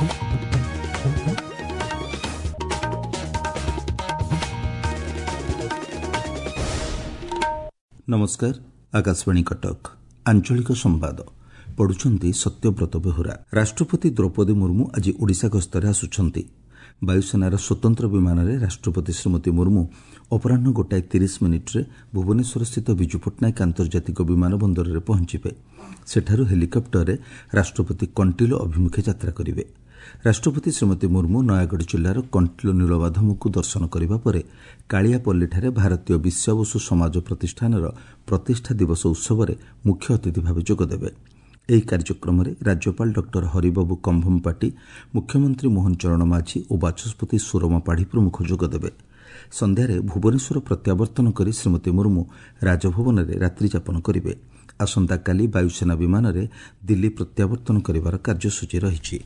ନମସ୍କାର, ଆକାଶବାଣୀ କଟକ, ଆଞ୍ଚଳିକ ସମ୍ବାଦ ପଢୁଛନ୍ତି ସତ୍ୟବ୍ରତ ବେହୁରା। ରାଷ୍ଟ୍ରପତି ଦ୍ରୌପଦୀ ମୁର୍ମୁ ଆଜି ଓଡ଼ିଶା ଗସ୍ତରେ ଆସୁଛନ୍ତି। ବାୟୁସେନାର ସ୍ୱତନ୍ତ୍ର ବିମାନରେ ରାଷ୍ଟ୍ରପତି ଶ୍ରୀମତୀ ମୁର୍ମୁ ଅପରାହ୍ନ 1:30ରେ ଭୁବନେଶ୍ୱରସ୍ଥିତ ବିଜୁ ପଟ୍ଟନାୟକ ଆନ୍ତର୍ଜାତିକ ବିମାନ ବନ୍ଦରରେ ପହଞ୍ଚିବେ। ସେଠାରୁ ହେଲିକପ୍ଟରରେ ରାଷ୍ଟ୍ରପତି କଣ୍ଟିଲୋ ଅଭିମୁଖେ ଯାତ୍ରା କରିବେ। ରାଷ୍ଟ୍ରପତି ଶ୍ରୀମତୀ ମୁର୍ମୁ ନୟାଗଡ଼ ଜିଲ୍ଲାର କଣ୍ଟିଲୋ ନୀଳମାଧବଙ୍କୁ ଦର୍ଶନ କରିବା ପରେ କାଳିଆପଲ୍ଲୀଠାରେ ଭାରତୀୟ ବିଶ୍ୱାବସୁ ସମାଜ ପ୍ରତିଷ୍ଠାନର ପ୍ରତିଷ୍ଠା ଦିବସ ଉତ୍ସବରେ ମୁଖ୍ୟ ଅତିଥି ଭାବେ ଯୋଗଦେବେ। ଏହି କାର୍ଯ୍ୟକ୍ରମରେ ରାଜ୍ୟପାଳ ଡକ୍ଟର ହରିବାବୁ କମ୍ଭମପାଟି, ମୁଖ୍ୟମନ୍ତ୍ରୀ ମୋହନ ଚରଣ ମାଝୀ ଓ ବାଚସ୍ପତି ସୁରମା ପାଢ଼ୀ ପ୍ରମୁଖ ଯୋଗଦେବେ। ସନ୍ଧ୍ୟାରେ ଭୁବନେଶ୍ୱର ପ୍ରତ୍ୟାବର୍ତ୍ତନ କରି ଶ୍ରୀମତୀ ମୁର୍ମୁ ରାଜଭବନରେ ରାତ୍ରିଯାପନ କରିବେ। ଆସନ୍ତାକାଲି ବାୟୁସେନା ବିମାନରେ ଦିଲ୍ଲୀ ପ୍ରତ୍ୟାବର୍ତ୍ତନ କରିବାର କାର୍ଯ୍ୟସୂଚୀ ରହିଛି।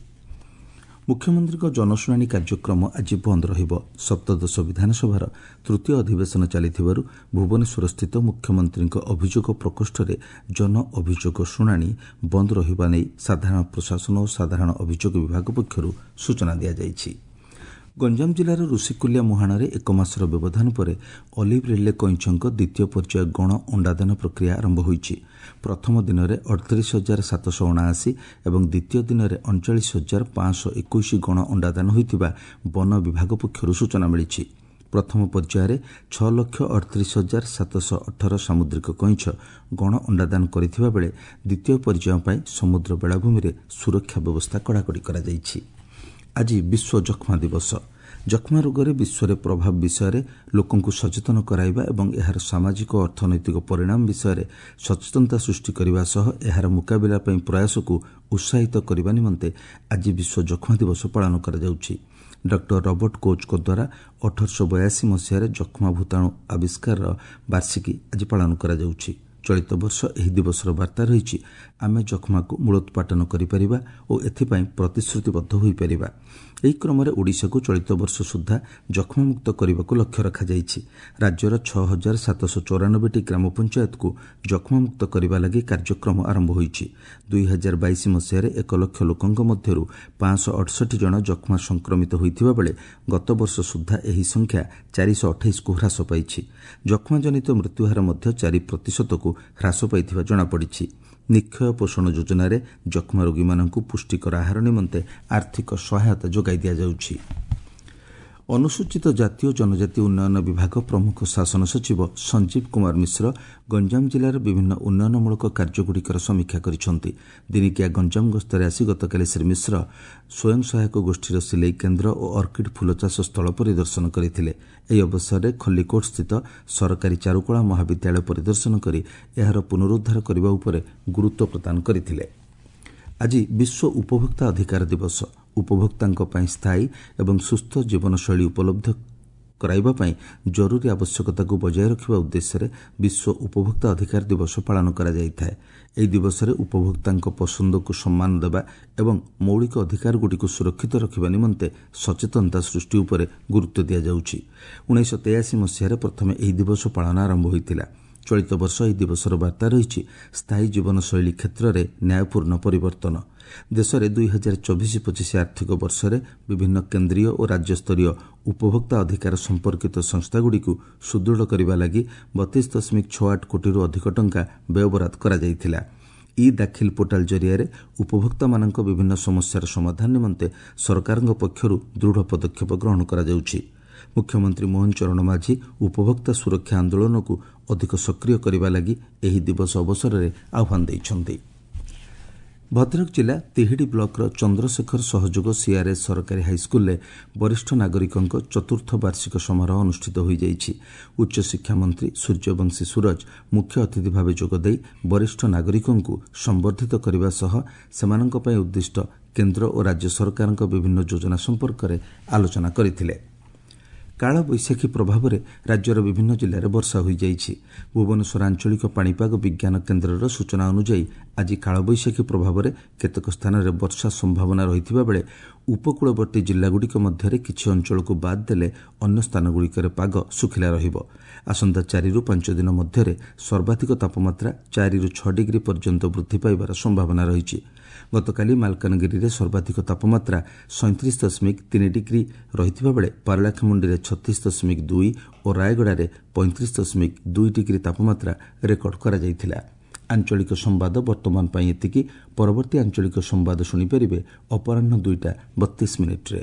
ମୁଖ୍ୟମନ୍ତ୍ରୀଙ୍କ ଜନଶୁଣାଣି କାର୍ଯ୍ୟକ୍ରମ ଆଜି ବନ୍ଦ ରହିବ। ସପ୍ତଦଶ ବିଧାନସଭାର ତୃତୀୟ ଅଧିବେଶନ ଚାଲିଥିବାରୁ ଭୁବନେଶ୍ୱରସ୍ଥିତ ମୁଖ୍ୟମନ୍ତ୍ରୀଙ୍କ ଅଭିଯୋଗ ପ୍ରକୋଷ୍ଠରେ ଜନ ଅଭିଯୋଗ ଶୁଣାଣି ବନ୍ଦ ରହିବା ନେଇ ସାଧାରଣ ପ୍ରଶାସନ ଓ ସାଧାରଣ ଅଭିଯୋଗ ବିଭାଗ ପକ୍ଷରୁ ସୂଚନା ଦିଆଯାଇଛି। ଗଞ୍ଜାମ ଜିଲ୍ଲାର ଋଷିକୁଲ୍ୟା ମୁହାଣରେ ଏକ ମାସର ବ୍ୟବଧାନ ପରେ ଅଲିଭ୍ ରିଡ୍ଲେ କଇଁଛଙ୍କ ଦ୍ୱିତୀୟ ପର୍ଯ୍ୟାୟ ଗଣ ଅଣ୍ଡାଦାନ ପ୍ରକ୍ରିୟା ଆରମ୍ଭ ହୋଇଛି। ପ୍ରଥମ ଦିନରେ 38,779 ଏବଂ ଦ୍ୱିତୀୟ ଦିନରେ 39,521 ଗଣ ଅଣ୍ଡାଦାନ ହୋଇଥିବା ବନ ବିଭାଗ ପକ୍ଷରୁ ସୂଚନା ମିଳିଛି। ପ୍ରଥମ ପର୍ଯ୍ୟାୟରେ 6,38,718 ସାମୁଦ୍ରିକ କଇଁଛ ଗଣ ଅଣ୍ଡାଦାନ କରିଥିବା ବେଳେ ଦ୍ୱିତୀୟ ପର୍ଯ୍ୟାୟ ପାଇଁ ସମୁଦ୍ର ବେଳାଭୂମିରେ ସୁରକ୍ଷା ବ୍ୟବସ୍ଥା କଡ଼ାକଡ଼ି କରାଯାଇଛି। ଆଜି ବିଶ୍ୱ ଯକ୍ଷ୍ମା ଦିବସ। ଯକ୍ଷ୍ମା ରୋଗରେ ବିଶ୍ୱରେ ପ୍ରଭାବ ବିଷୟରେ ଲୋକଙ୍କୁ ସଚେତନ କରାଇବା ଏବଂ ଏହାର ସାମାଜିକ ଓ ଅର୍ଥନୈତିକ ପରିଣାମ ବିଷୟରେ ସଚେତନତା ସୃଷ୍ଟି କରିବା ସହ ଏହାର ମୁକାବିଲା ପାଇଁ ପ୍ରୟାସକୁ ଉତ୍ସାହିତ କରିବା ନିମନ୍ତେ ଆଜି ବିଶ୍ୱ ଯକ୍ଷ୍ମା ଦିବସ ପାଳନ କରାଯାଉଛି। ଡକ୍ଟର ରବର୍ଟ କୋଚ୍ଙ୍କ ଦ୍ୱାରା 1882 ମସିହାରେ ଯକ୍ଷ୍ମା ଭୂତାଣୁ ଆବିଷ୍କାରର ବାର୍ଷିକୀ ଆଜି ପାଳନ କରାଯାଉଛି। ଚଳିତ ବର୍ଷ ଏହି ଦିବସର ବାର୍ତ୍ତା ରହିଛି, ଆମେ ଯକ୍ଷ୍ମାକୁ ମୂଳୋତ୍ପାଟନ କରିପାରିବା ଓ ଏଥିପାଇଁ ପ୍ରତିଶ୍ରୁତିବଦ୍ଧ ହୋଇପାରିବା। ଏହି କ୍ରମରେ ଓଡ଼ିଶାକୁ ଚଳିତ ବର୍ଷ ସୁଦ୍ଧା ଯକ୍ଷ୍ମାମୁକ୍ତ କରିବାକୁ ଲକ୍ଷ୍ୟ ରଖାଯାଇଛି। ରାଜ୍ୟର 6,794ଟି ଗ୍ରାମ ପଞ୍ଚାୟତକୁ ଯକ୍ଷ୍ମାମୁକ୍ତ କରିବା ଲାଗି କାର୍ଯ୍ୟକ୍ରମ ଆରମ୍ଭ ହୋଇଛି। 2022 ମସିହାରେ 1 ଲକ୍ଷ ଲୋକଙ୍କ ମଧ୍ୟରୁ 568 ଜଣ ଯକ୍ଷ୍ମା ସଂକ୍ରମିତ ହୋଇଥିବା ବେଳେ ଗତବର୍ଷ ସୁଦ୍ଧା ଏହି ସଂଖ୍ୟା 428କୁ ହ୍ରାସ ପାଇଛି। ଯକ୍ଷ୍ମାଜନିତ ମୃତ୍ୟୁହାର ମଧ୍ୟ 4%କୁ ହ୍ରାସ ପାଇଥିବା ଜଣାପଡ଼ିଛି। ନିକ୍ଷୟ ପୋଷଣ ଯୋଜନାରେ ଯକ୍ଷ୍ମା ରୋଗୀମାନଙ୍କୁ ପୁଷ୍ଟିକର ଆହାର ନିମନ୍ତେ ଆର୍ଥିକ ସହାୟତା ଯୋଗାଇ ଦିଆଯାଉଛି। ଅନୁସୂଚିତ ଜାତି ଓ ଜନଜାତି ଉନ୍ନୟନ ବିଭାଗ ପ୍ରମୁଖ ଶାସନ ସଚିବ ସଞ୍ଜୀବ କୁମାର ମିଶ୍ର ଗଞ୍ଜାମ ଜିଲ୍ଲାର ବିଭିନ୍ନ ଉନ୍ନୟନମୂଳକ କାର୍ଯ୍ୟଗୁଡ଼ିକର ସମୀକ୍ଷା କରିଛନ୍ତି। ଦିନିକିଆ ଗଞ୍ଜାମ ଗସ୍ତରେ ଆସି ଗତକାଲି ଶ୍ରୀ ମିଶ୍ର ସ୍ୱୟଂ ସହାୟକ ଗୋଷ୍ଠୀର ସିଲେଇ କେନ୍ଦ୍ର ଓ ଅର୍କିଡ୍ ଫୁଲ ଚାଷ ସ୍ଥଳ ପରିଦର୍ଶନ କରିଥିଲେ। ଏହି ଅବସରରେ ଖଲ୍ଲିକୋଟସ୍ଥିତ ସରକାରୀ ଚାରୁକଳା ମହାବିଦ୍ୟାଳୟ ପରିଦର୍ଶନ କରି ଏହାର ପୁନରୁଦ୍ଧାର କରିବା ଉପରେ ଗୁରୁତ୍ୱ ପ୍ରଦାନ କରିଥିଲେ। ଆଜି ବିଶ୍ୱ ଉପଭୋକ୍ତା ଅଧିକାର ଦିବସ। ଉପଭୋକ୍ତାଙ୍କ ପାଇଁ ସ୍ଥାୟୀ ଏବଂ ସୁସ୍ଥ ଜୀବନଶୈଳୀ ଉପଲବ୍ଧ କରାଇବା ପାଇଁ ଜରୁରୀ ଆବଶ୍ୟକତାକୁ ବଜାୟ ରଖିବା ଉଦ୍ଦେଶ୍ୟରେ ବିଶ୍ୱ ଉପଭୋକ୍ତା ଅଧିକାର ଦିବସ ପାଳନ କରାଯାଇଥାଏ। ଏହି ଦିବସରେ ଉପଭୋକ୍ତାଙ୍କ ପସନ୍ଦକୁ ସମ୍ମାନ ଦେବା ଏବଂ ମୌଳିକ ଅଧିକାରଗୁଡ଼ିକୁ ସୁରକ୍ଷିତ ରଖିବା ନିମନ୍ତେ ସଚେତନତା ସୃଷ୍ଟି ଉପରେ ଗୁରୁତ୍ୱ ଦିଆଯାଉଛି। 1983 ମସିହାରେ ପ୍ରଥମେ ଏହି ଦିବସ ପାଳନ ଆରମ୍ଭ ହୋଇଥିଲା। ଚଳିତ ବର୍ଷ ଏହି ଦିବସର ବାର୍ତ୍ତା ରହିଛି, ସ୍ଥାୟୀ ଜୀବନଶୈଳୀ କ୍ଷେତ୍ରରେ ନ୍ୟାୟପୂର୍ଣ୍ଣ ପରିବର୍ତ୍ତନ। ଦେଶରେ 2024-25 ଆର୍ଥିକ ବର୍ଷରେ ବିଭିନ୍ନ କେନ୍ଦ୍ରୀୟ ଓ ରାଜ୍ୟସ୍ତରୀୟ ଉପଭୋକ୍ତା ଅଧିକାର ସମ୍ପର୍କିତ ସଂସ୍ଥାଗୁଡ଼ିକୁ ସୁଦୃଢ଼ କରିବା ଲାଗି 32.68 କୋଟିରୁ ଅଧିକ ଟଙ୍କା ବ୍ୟୟବରାଦ କରାଯାଇଥିଲା। ଇ ଦାଖିଲ ପୋର୍ଟାଲ ଜରିଆରେ ଉପଭୋକ୍ତାମାନଙ୍କ ବିଭିନ୍ନ ସମସ୍ୟାର ସମାଧାନ ନିମନ୍ତେ ସରକାରଙ୍କ ପକ୍ଷରୁ ଦୃଢ଼ ପଦକ୍ଷେପ ଗ୍ରହଣ କରାଯାଉଛି। ମୁଖ୍ୟମନ୍ତ୍ରୀ ମୋହନ ଚରଣ ମାଝୀ ଉପଭୋକ୍ତା ସୁରକ୍ଷା ଆନ୍ଦୋଳନକୁ ଅଧିକ ସକ୍ରିୟ କରିବା ଲାଗି ଏହି ଦିବସ ଅବସରରେ ଆହ୍ୱାନ ଦେଇଛନ୍ତି। ଭଦ୍ରକ ଜିଲ୍ଲା ତିହିଡ଼ି ବ୍ଲକର ଚନ୍ଦ୍ରଶେଖର ସହଯୋଗ ସିଆର୍ଏସ୍ ସରକାରୀ ହାଇସ୍କୁଲରେ ବରିଷ୍ଠ ନାଗରିକଙ୍କ ଚତୁର୍ଥ ବାର୍ଷିକ ସମାରୋହ ଅନୁଷ୍ଠିତ ହୋଇଯାଇଛି। ଉଚ୍ଚଶିକ୍ଷା ମନ୍ତ୍ରୀ ସୂର୍ଯ୍ୟବଂଶୀ ସୂରଜ ମୁଖ୍ୟ ଅତିଥି ଭାବେ ଯୋଗଦେଇ ବରିଷ୍ଠ ନାଗରିକଙ୍କୁ ସମ୍ବର୍ଦ୍ଧିତ କରିବା ସହ ସେମାନଙ୍କ ପାଇଁ ଉଦ୍ଦିଷ୍ଟ କେନ୍ଦ୍ର ଓ ରାଜ୍ୟ ସରକାରଙ୍କ ବିଭିନ୍ନ ଯୋଜନା ସମ୍ପର୍କରେ ଆଲୋଚନା କରିଥିଲେ। କାଳବୈଶାଖୀ ପ୍ରଭାବରେ ରାଜ୍ୟର ବିଭିନ୍ନ ଜିଲ୍ଲାରେ ବର୍ଷା ହୋଇଯାଇଛି। ଭୁବନେଶ୍ୱର ଆଞ୍ଚଳିକ ପାଣିପାଗ ବିଜ୍ଞାନ କେନ୍ଦ୍ରର ସୂଚନା ଅନୁଯାୟୀ ଆଜି କାଳବୈଶାଖୀ ପ୍ରଭାବରେ କେତେକ ସ୍ଥାନରେ ବର୍ଷା ସମ୍ଭାବନା ରହିଥିବା ବେଳେ ଉପକୂଳବର୍ତ୍ତୀ ଜିଲ୍ଲାଗୁଡ଼ିକ ମଧ୍ୟରେ କିଛି ଅଞ୍ଚଳକୁ ବାଦ୍ ଦେଲେ ଅନ୍ୟ ସ୍ଥାନଗୁଡ଼ିକରେ ପାଗ ଶୁଖିଲା ରହିବ। ଆସନ୍ତା 4ରୁ 5 ଦିନ ମଧ୍ୟରେ ସର୍ବାଧିକ ତାପମାତ୍ରା 4ରୁ 6 ଡିଗ୍ରୀ ପର୍ଯ୍ୟନ୍ତ ବୃଦ୍ଧି ପାଇବାର ସମ୍ଭାବନା ରହିଛି। ଗତକାଲି ମାଲକାନଗିରିରେ ସର୍ବାଧିକ ତାପମାତ୍ରା 37.3 ଡିଗ୍ରୀ ରହିଥିବା ବେଳେ ପାରଳାଖେମୁଣ୍ଡିରେ 36.2 ଓ ରାୟଗଡ଼ାରେ 35.2 ଡିଗ୍ରୀ ତାପମାତ୍ରା ରେକର୍ଡ କରାଯାଇଥିଲା। ଆଞ୍ଚଳିକ ସମ୍ବାଦ ବର୍ତ୍ତମାନ ପାଇଁ ଏତିକି। ପରବର୍ତ୍ତୀ ଆଞ୍ଚଳିକ ସମ୍ବାଦ ଶୁଣିପାରିବେ ଅପରାହ୍ନ 2ଟା 32 ମିନିଟ୍ରେ।